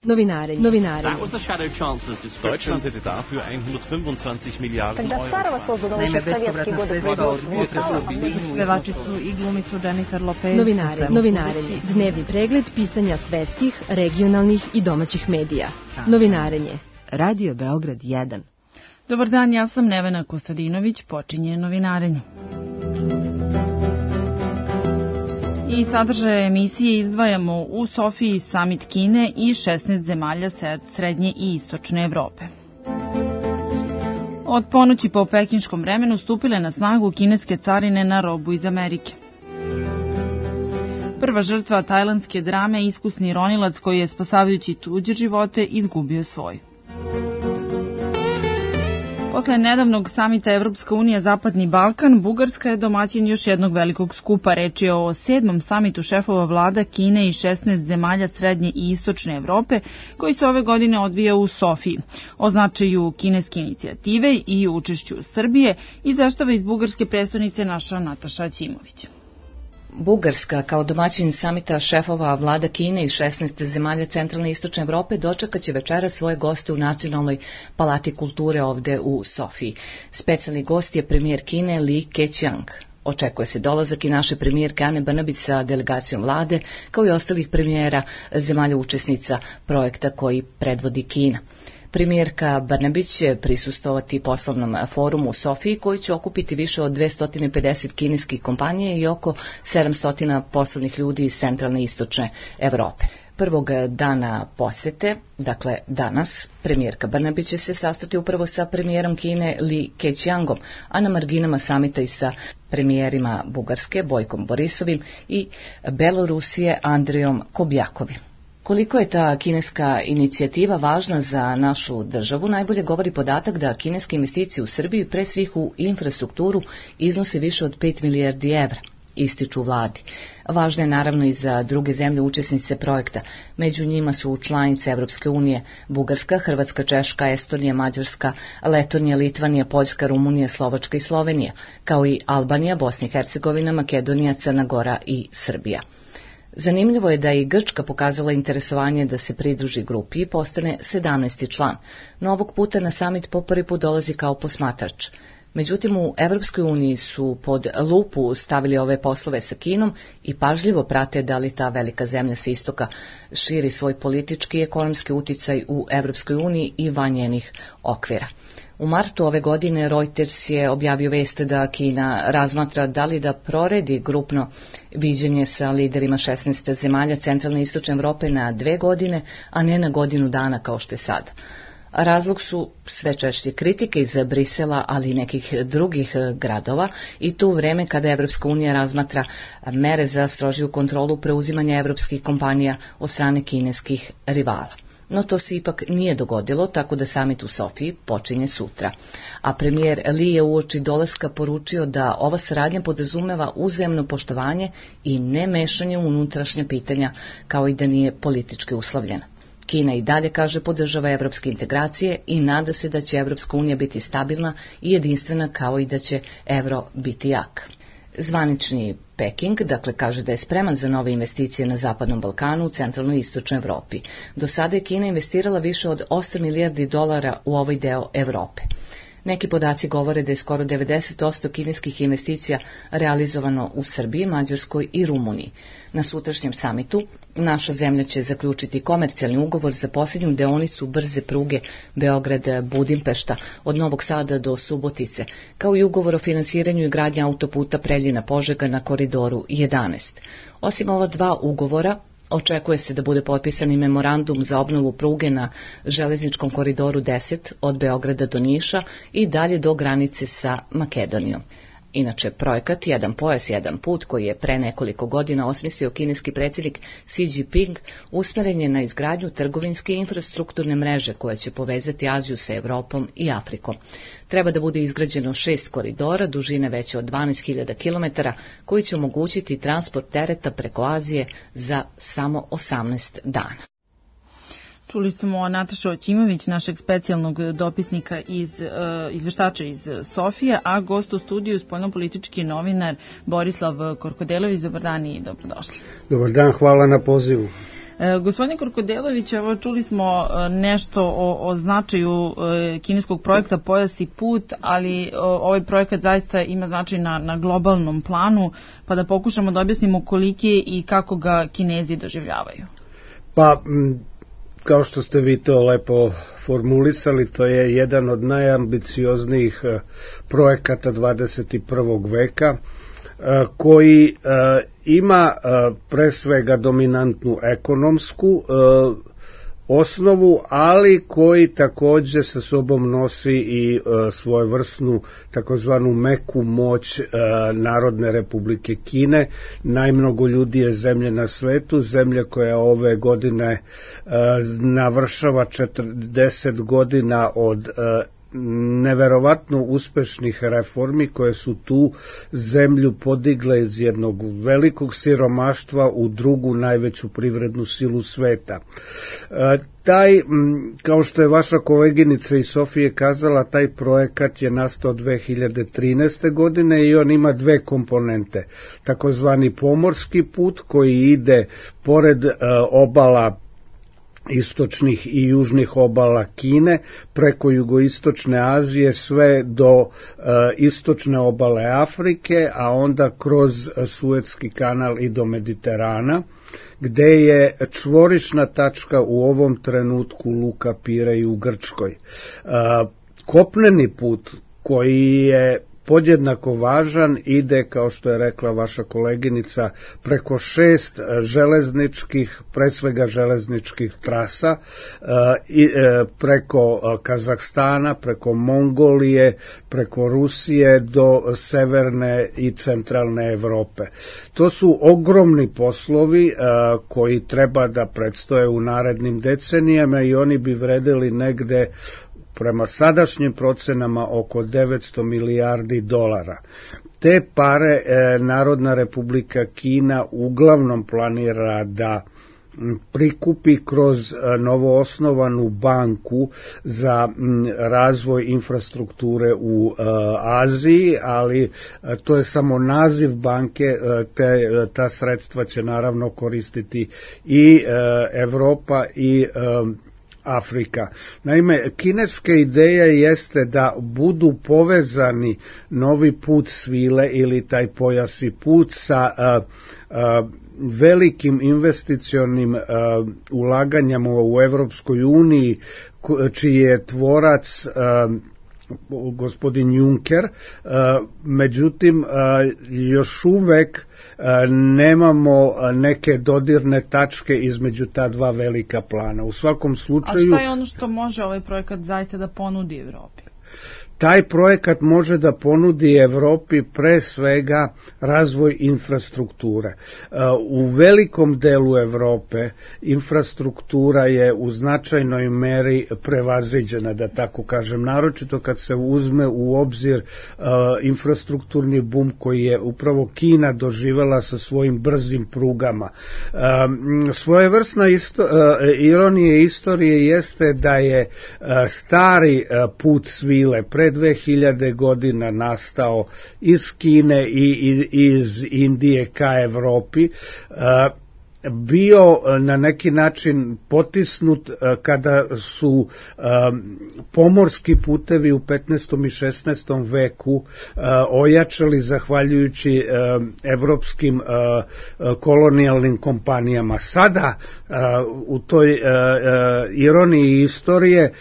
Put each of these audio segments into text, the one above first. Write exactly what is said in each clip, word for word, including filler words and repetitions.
Novinarenje. Novinarenje. Deutschland hätte dafür hundertfünfundzwanzig Miliarden Euro. Naime, bespovratna sredstva od unutra pevači su i glumicu Jennifer Lopez. Novinarenje. Novinarenje. Dnevni pregled pisanja svetskih, regionalnih i domaćih medija. Novinarenje. Radio Beograd jedan. Dobar dan, ja sam Nevena Kostadinović, počinje Novinarenje. I sadržaje emisije izdvajamo u Sofiji samit Kine i šesnaest zemalja srednje i istočne Evrope. Od ponoći po pekinškom vremenu stupile na snagu kineske carine na robu iz Amerike. Prva žrtva tajlandske drame, iskusni ronilac koji je spasavajući tuđe živote izgubio svoj. Posle nedavnog samita Evropska unija Zapadni Balkan, Bugarska je domaćin još jednog velikog skupa. Reč je o sedmom samitu šefova vlada Kine i šesnaest zemalja srednje i istočne Evrope, koji se ove godine odvija u Sofiji. O značaju kineske inicijative i učešću Srbije izveštava iz bugarske prestonice naša Nataša Ćimović. Bugarska, kao domaćin samita šefova vlada Kine i šesnaest zemalja centralne i istočne Evrope, dočekaće večera svoje goste u Nacionalnoj palati kulture ovde u Sofiji. Specijalni gost je premijer Kine Li Keqiang. Očekuje se dolazak i naše premijerke Ane Brnabić sa delegacijom vlade, kao i ostalih premijera zemalja učesnica projekta koji predvodi Kina. Premijerka Brnabić će prisustvovati poslovnom forumu u Sofiji koji će okupiti više od dvesta pedeset kineskih kompanija i oko sedamsto poslovnih ljudi iz centralne i istočne Evrope. Prvog dana posete, dakle danas, premijerka Brnabić će se sastati upravo sa premijerom Kine Li Keqiangom, a na marginama samita i sa premijerima Bugarske Bojkom Borisovim i Belorusije Andrijom Kobjakovim. Koliko je ta kineska inicijativa važna za našu državu, najbolje govori podatak da kineske investicije u Srbiji, pre svih u infrastrukturu, iznose više od pet milijardi evra, ističu vladi. Važna je naravno i za druge zemlje učesnice projekta. Među njima su članice Evropske unije Bugarska, Hrvatska, Češka, Estonija, Mađarska, Letonija, Litvanija, Poljska, Rumunija, Slovačka i Slovenija, kao i Albanija, Bosna i Hercegovina, Makedonija, Crna Gora i Srbija. Zanimljivo je da je i Grčka pokazala interesovanje da se pridruži grupi i postane sedamnaesti član, no ovog puta na samit po prvi put dolazi kao posmatrač. Međutim, u Evropskoj uniji su pod lupu stavili ove poslove sa Kinom i pažljivo prate da li ta velika zemlja sa istoka širi svoj politički i ekonomski uticaj u Evropskoj uniji i van njenih okvira. U martu ove godine Reuters je objavio vest da Kina razmatra da li da proredi grupno viđenje sa liderima šesnaest zemalja centralne i istočne Evrope na dve godine, a ne na godinu dana kao što je sada. Razlog su sve češće kritike iz Brisela, ali i nekih drugih gradova, i to u vreme kada Evropska unija razmatra mere za strožiju kontrolu preuzimanja evropskih kompanija od strane kineskih rivala. No to se ipak nije dogodilo, tako da samit u Sofiji počinje sutra. A premijer Li je uoči dolaska poručio da ova saradnja podrazumeva uzajamno poštovanje i ne mešanje u unutrašnja pitanja, kao i da nije politički uslovljena. Kina i dalje, kaže, podržava evropske integracije i nada se da će Evropska unija biti stabilna i jedinstvena, kao i da će evro biti jak. Zvanični Peking, dakle, kaže da je spreman za nove investicije na Zapadnom Balkanu, u centralnoj i istočnoj Evropi. Do sada je Kina investirala više od osam milijardi dolara u ovaj deo Evrope. Neki podaci govore da je skoro devedeset posto kineskih investicija realizovano u Srbiji, Mađarskoj i Rumuniji. Na sutrašnjem samitu naša zemlja će zaključiti komercijalni ugovor za posljednju deonicu brze pruge Beograd-Budimpešta od Novog Sada do Subotice, kao i ugovor o finansiranju i gradnji autoputa Preljina-Požega na koridoru jedanaest. Osim ova dva ugovora, očekuje se da bude potpisan i memorandum za obnovu pruge na železničkom koridoru deset od Beograda do Niša i dalje do granice sa Makedonijom. Inače, projekat Jedan pojas, jedan put, koji je pre nekoliko godina osmislio kineski predsjednik Xi Jinping, usmeren je na izgradnju trgovinske i infrastrukturne mreže koja će povezati Aziju sa Evropom i Afrikom. Treba da bude izgrađeno šest koridora, dužine veće od dvanaest hiljada kilometara, koji će omogućiti transport tereta preko Azije za samo osamnaest dana. Čuli smo Natašu Ćimović, našeg specijalnog dopisnika iz uh, izveštača iz Sofije, a gost u studiju spoljnopolitički novinar Borislav Korkodelović. Dobar dan i dobrodošli. Dobar dan, hvala na pozivu. E, gospodine Korkodelović, evo čuli smo nešto o, o značaju e, kineskog projekta Pojas i put, ali o, ovaj projekat zaista ima značaj na, na globalnom planu, pa da pokušamo da objasnimo koliki i kako ga Kinezi doživljavaju. Pa, m, kao što ste vi to lepo formulisali, to je jedan od najambicioznijih e, projekata dvadeset prvog veka, koji uh, ima uh, pre svega dominantnu ekonomsku uh, osnovu, ali koji takođe sa sobom nosi i uh, svojevrsnu takozvanu meku moć uh, Narodne Republike Kine. Najmnogo ljudi je zemlje na svetu, zemlja koja ove godine uh, navršava četrdeset godina od uh, neverovatno uspešnih reformi koje su tu zemlju podigle iz jednog velikog siromaštva u drugu najveću privrednu silu sveta. E, taj, kao što je vaša koleginica iz Sofije kazala, taj projekat je nastao dve hiljade trinaeste. godine i on ima dve komponente. Takozvani pomorski put koji ide pored e, obala istočnih i južnih obala Kine, preko jugoistočne Azije sve do e, istočne obale Afrike, a onda kroz Suetski kanal i do Mediterana, gde je čvorišna tačka u ovom trenutku Luka Pirej u Grčkoj. E, kopneni put koji je podjednako važan ide, kao što je rekla vaša koleginica, preko šest železničkih, pre svega železničkih trasa, i preko Kazahstana, preko Mongolije, preko Rusije do severne i centralne Evrope. To su ogromni poslovi koji treba da predstoje u narednim decenijama i oni bi vredeli negde prema sadašnjim procenama oko devetsto milijardi dolara. Te pare e, Narodna Republika Kina uglavnom planira da prikupi kroz novoosnovanu banku za razvoj infrastrukture u Aziji, ali to je samo naziv banke, te, ta sredstva će naravno koristiti i Evropa i Afrika. Naime, kineska ideja jeste da budu povezani novi put svile ili taj pojas i put sa a, a, velikim investicionim a, ulaganjama u Evropskoj uniji, čiji je tvorac a, gospodin Juncker, međutim još uvek nemamo neke dodirne tačke između ta dva velika plana. U svakom slučaju... A šta je ono što može ovaj projekat zaista da ponudi Evropi? Taj projekat može da ponudi Evropi pre svega razvoj infrastrukture. U velikom delu Evrope infrastruktura je u značajnoj meri prevaziđena, da tako kažem, naročito kad se uzme u obzir infrastrukturni bum koji je upravo Kina doživela sa svojim brzim prugama. Svojevrsna isto, ironija istorije jeste da je stari put svile pre dve hiljade godina nastao iz Kine i iz Indije ka Evropi, bio na neki način potisnut kada su pomorski putevi u petnaestom i šesnaestom veku ojačali zahvaljujući evropskim kolonijalnim kompanijama. Sada u toj ironiji istorije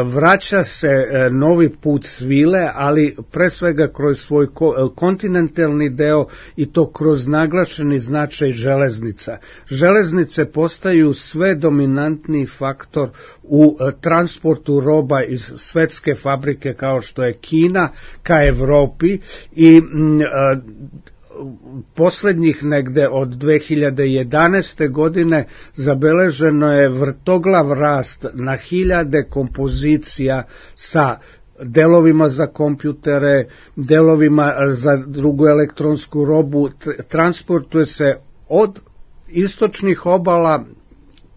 vraća se novi put svile, ali pre svega kroz svoj kontinentalni deo i to kroz naglašeni značaj železnica. Železnice postaju sve dominantniji faktor u transportu roba iz svetske fabrike kao što je Kina ka Evropi i poslednjih negde od dve hiljade jedanaeste. godine zabeleženo je vrtoglav rast na hiljade kompozicija sa delovima za kompjutere, delovima za drugu elektronsku robu. Transportuje se od istočnih obala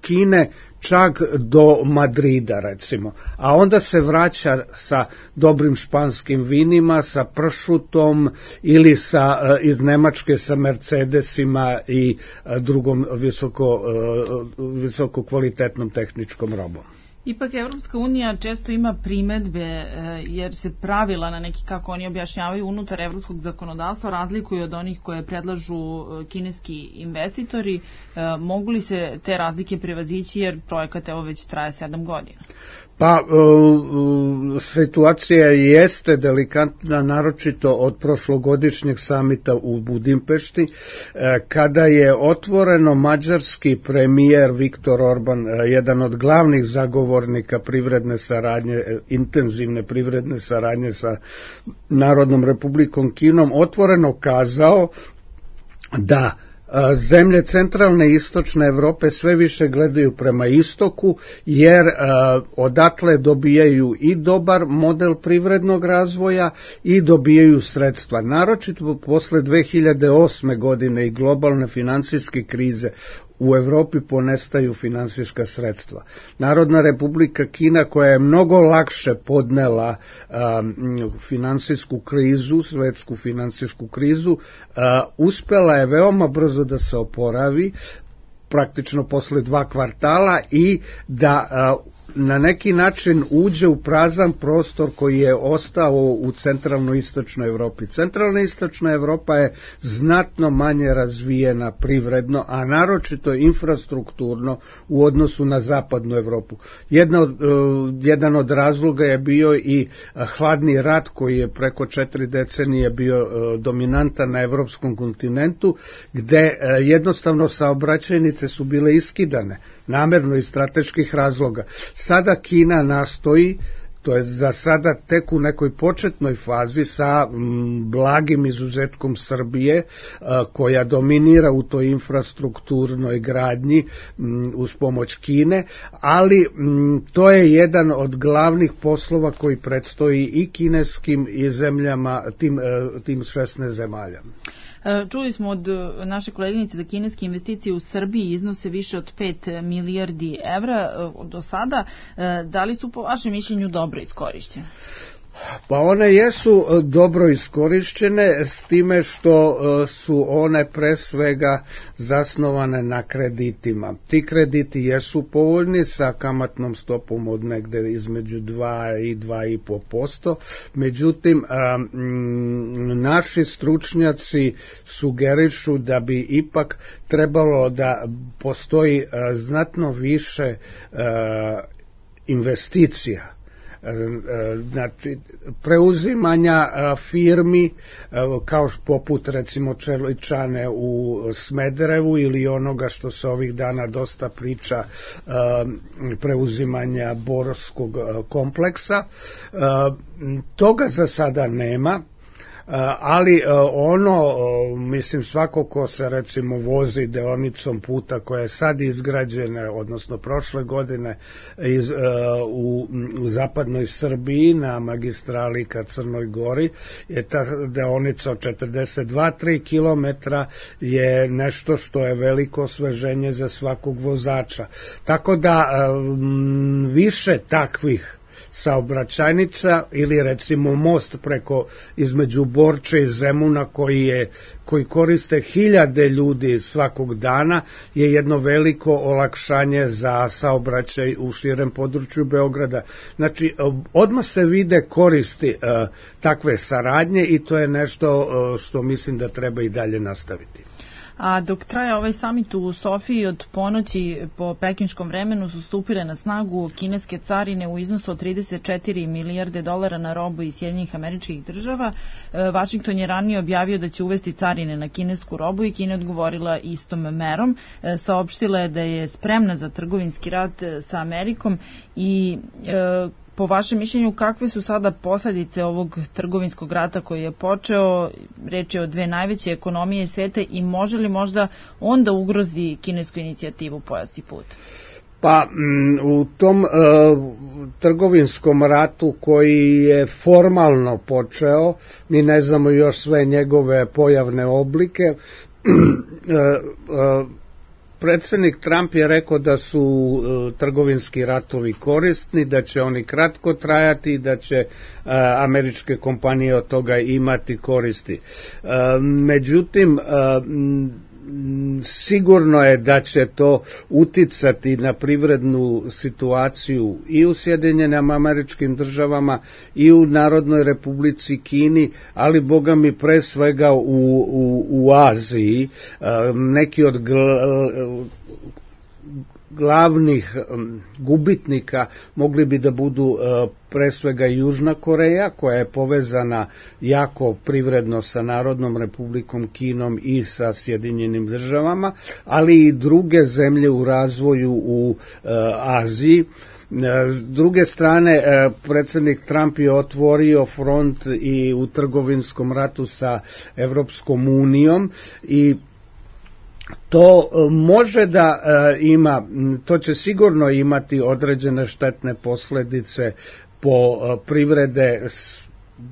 Kine čak do Madrida recimo, a onda se vraća sa dobrim španskim vinima, sa pršutom ili sa, iz Nemačke sa Mercedesima i drugom visoko, visoko kvalitetnom tehničkom robom. Ipak Evropska unija često ima primedbe jer se pravila na neki, kako oni objašnjavaju, unutar evropskog zakonodavstva razlikuju od onih koje predlažu kineski investitori. Mogu li se te razlike prevazići jer projekat evo već traje sedam godina? Pa, situacija jeste delikatna, naročito od prošlogodišnjeg samita u Budimpešti, kada je otvoreno mađarski premijer Viktor Orban, jedan od glavnih zagovornika privredne saradnje, intenzivne privredne saradnje sa Narodnom Republikom Kinom, otvoreno kazao da zemlje centralne i istočne Evrope sve više gledaju prema istoku, jer uh, odatle dobijaju i dobar model privrednog razvoja i dobijaju sredstva. Naročito posle dve hiljade osme godine i globalne finansijske krize u Evropi ponestaju finansijska sredstva. Narodna Republika Kina, koja je mnogo lakše podnela um, finansijsku krizu, svetsku finansijsku krizu, uh, uspela je veoma brzo da se oporavi, praktično posle dva kvartala, i da uh, na neki način uđe u prazan prostor koji je ostao u centralno-istočnoj Evropi. Centralno-istočna Evropa je znatno manje razvijena privredno, a naročito infrastrukturno u odnosu na zapadnu Evropu. Jedna od, uh, jedan od razloga je bio i hladni rat koji je preko četiri decenije bio uh, dominantan na evropskom kontinentu, gde uh, jednostavno saobraćajnice su bile iskidane, namerno iz strateških razloga. Sada Kina nastoji, to je za sada tek u nekoj početnoj fazi sa m, blagim izuzetkom Srbije, a, koja dominira u toj infrastrukturnoj gradnji m, uz pomoć Kine, ali m, to je jedan od glavnih poslova koji predstoji i kineskim i zemljama, tim, tim šesnaest zemalja. Čuli smo od naše koleginice da kineske investicije u Srbiji iznose više od pet milijardi evra do sada. Da li su po vašem mišljenju dobro iskorišćene? Pa one jesu dobro iskorišćene, s time što su one pre svega zasnovane na kreditima. Ti krediti jesu povoljni sa kamatnom stopom od negde između dva i dva i po posto, međutim naši stručnjaci sugerišu da bi ipak trebalo da postoji znatno više investicija, znači preuzimanja firmi kao poput recimo Čeličane u Smederevu ili onoga što se ovih dana dosta priča, preuzimanja Borskog kompleksa. Toga za sada nema, ali ono, mislim, svako ko se recimo vozi deonicom puta koja je sad izgrađena, odnosno prošle godine iz, u, u zapadnoj Srbiji na magistrali ka Crnoj Gori, je ta deonica od četrdeset dva do tri kilometra je nešto što je veliko osveženje za svakog vozača. Tako da više takvih saobraćajnica ili recimo most preko između Borče i Zemuna koji je koji koriste hiljade ljudi svakog dana je jedno veliko olakšanje za saobraćaj u širem području Beograda. Znači, odmah se vide koristi uh, takve saradnje i to je nešto uh, što mislim da treba i dalje nastaviti. A dok traje ovaj samit u Sofiji, od ponoći po pekinškom vremenu su stupile na snagu kineske carine u iznosu od trideset četiri milijarde dolara na robu iz Sjedinjenih Američkih Država. Vašington je ranije objavio da će uvesti carine na kinesku robu i Kina odgovorila istom merom. Saopštila je da je spremna za trgovinski rat sa Amerikom i e, po vašem mišljenju, kakve su sada posledice ovog trgovinskog rata koji je počeo? Reč je o dve najveće ekonomije sveta i može li možda onda ugrozi kinesku inicijativu Pojas i put? Pa m, u tom e, trgovinskom ratu koji je formalno počeo, mi ne znamo još sve njegove pojavne oblike, e, e, Predsednik Trump je rekao da su uh, trgovinski ratovi korisni, da će oni kratko trajati i da će uh, američke kompanije od toga imati koristi. Uh, međutim, uh, sigurno je da će to uticati na privrednu situaciju i u Sjedinjenim Američkim Državama i u Narodnoj Republici Kini, ali boga mi pre svega u, u, u Aziji. Neki od gl- glavnih um, gubitnika mogli bi da budu uh, pre svega Južna Koreja, koja je povezana jako privredno sa Narodnom Republikom Kinom i sa Sjedinjenim Državama, ali i druge zemlje u razvoju u uh, Aziji. S druge strane, predsjednik Trump je otvorio front i u trgovinskom ratu sa Evropskom unijom i to može da ima, to će sigurno imati određene štetne posljedice po privrede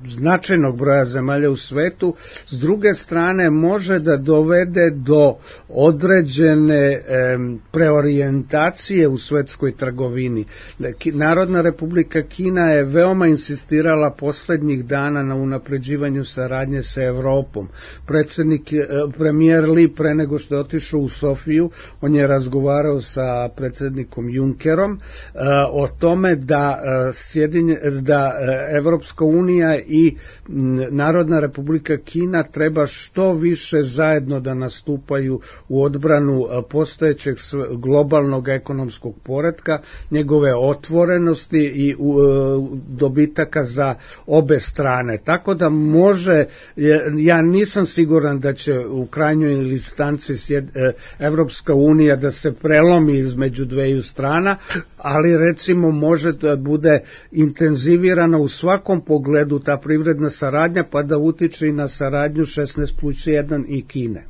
značajnog broja zemalja u svetu. S druge strane može da dovede do određene e, preorijentacije u svetskoj trgovini. Narodna Republika Kina je veoma insistirala poslednjih dana na unapređivanju saradnje sa Evropom. Predsjednik, e, premijer Li pre nego što je otišao u Sofiju, on je razgovarao sa predsjednikom Junckerom e, o tome da, e, sjedinje, da e, Evropska unija i Narodna Republika Kina treba što više zajedno da nastupaju u odbranu postojećeg globalnog ekonomskog poretka, njegove otvorenosti i dobitaka za obe strane. Tako da može, ja nisam siguran da će u krajnjoj instanci Evropska unija da se prelomi između dveju strana, ali recimo može da bude intenzivirana u svakom pogledu ta privredna saradnja, pa da utiče i na saradnju šesnaest plus jedan i Kine.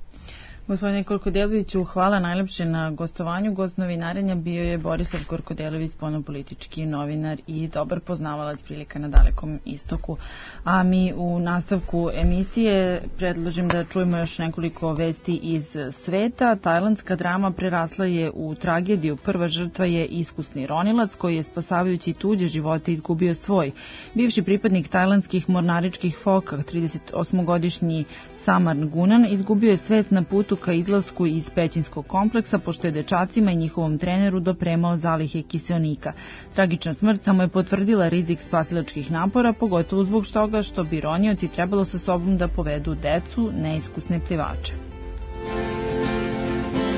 Gospodine Korkodeloviću, hvala najlepše na gostovanju. Gost novinarenja bio je Borislav Korkodelović, spoljnopolitički novinar i dobar poznavalac prilika na Dalekom istoku. A mi u nastavku emisije predlažem da čujemo još nekoliko vesti iz sveta. Tajlandska drama prerasla je u tragediju. Prva žrtva je iskusni ronilac koji je spasavajući tuđe živote izgubio svoj. Bivši pripadnik tajlandskih mornaričkih foka, tridesetosmogodišnji Samar Gunan, izgubio je svest na putu ka izlasku iz pećinskog kompleksa, pošto je dečacima i njihovom treneru dopremao zalihe kiseonika. Tragična smrt samo je potvrdila rizik spasilačkih napora, pogotovo zbog toga što bi ronioci trebalo sa sobom da povedu decu, neiskusne plivače.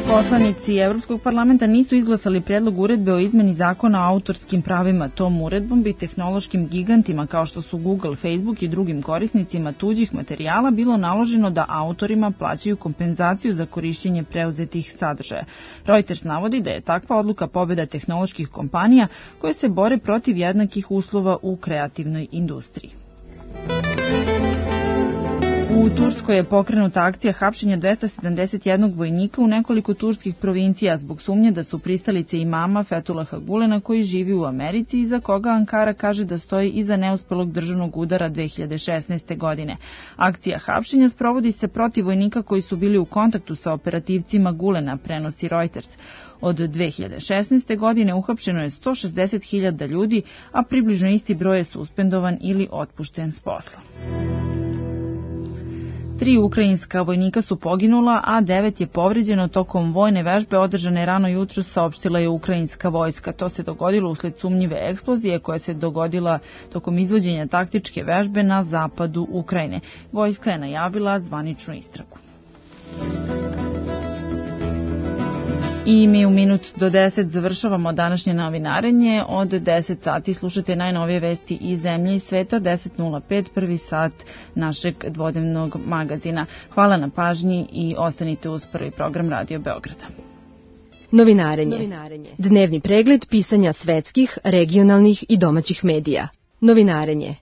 Poslanici Evropskog parlamenta nisu izglasali predlog uredbe o izmeni zakona o autorskim pravima. Tom uredbom bi tehnološkim gigantima kao što su Google, Facebook i drugim korisnicima tuđih materijala bilo naloženo da autorima plaćaju kompenzaciju za korišćenje preuzetih sadržaja. Reuters navodi da je takva odluka pobjeda tehnoloških kompanija koje se bore protiv jednakih uslova u kreativnoj industriji. U Turskoj je pokrenuta akcija hapšenja dvesta sedamdeset jednog vojnika u nekoliko turskih provincija zbog sumnje da su pristalice imama Fethullaha Gulena koji živi u Americi i za koga Ankara kaže da stoji iza neuspelog državnog udara dve hiljade šesnaeste. godine. Akcija hapšenja sprovodi se protiv vojnika koji su bili u kontaktu sa operativcima Gulena, prenosi Reuters. Od dve hiljade šesnaeste. godine uhapšeno je sto šezdeset hiljada ljudi, a približno isti broj je suspendovan ili otpušten s posla. Tri ukrajinska vojnika su poginula, a devet je povređeno tokom vojne vežbe održane rano jutro, saopštila je ukrajinska vojska. To se dogodilo usled sumnjive eksplozije koja se dogodila tokom izvođenja taktičke vežbe na zapadu Ukrajine. Vojska je najavila zvaničnu istragu. I mi u minut do deset završavamo današnje novinarenje. Od deset sati slušate najnovije vesti iz zemlje i sveta. deset nula pet, prvi sat našeg dvodnevnog magazina. Hvala na pažnji i ostanite uz prvi program Radio Beograda. Novinarenje. Novinarenje. Dnevni pregled pisanja svetskih, regionalnih i domaćih medija. Novinarenje.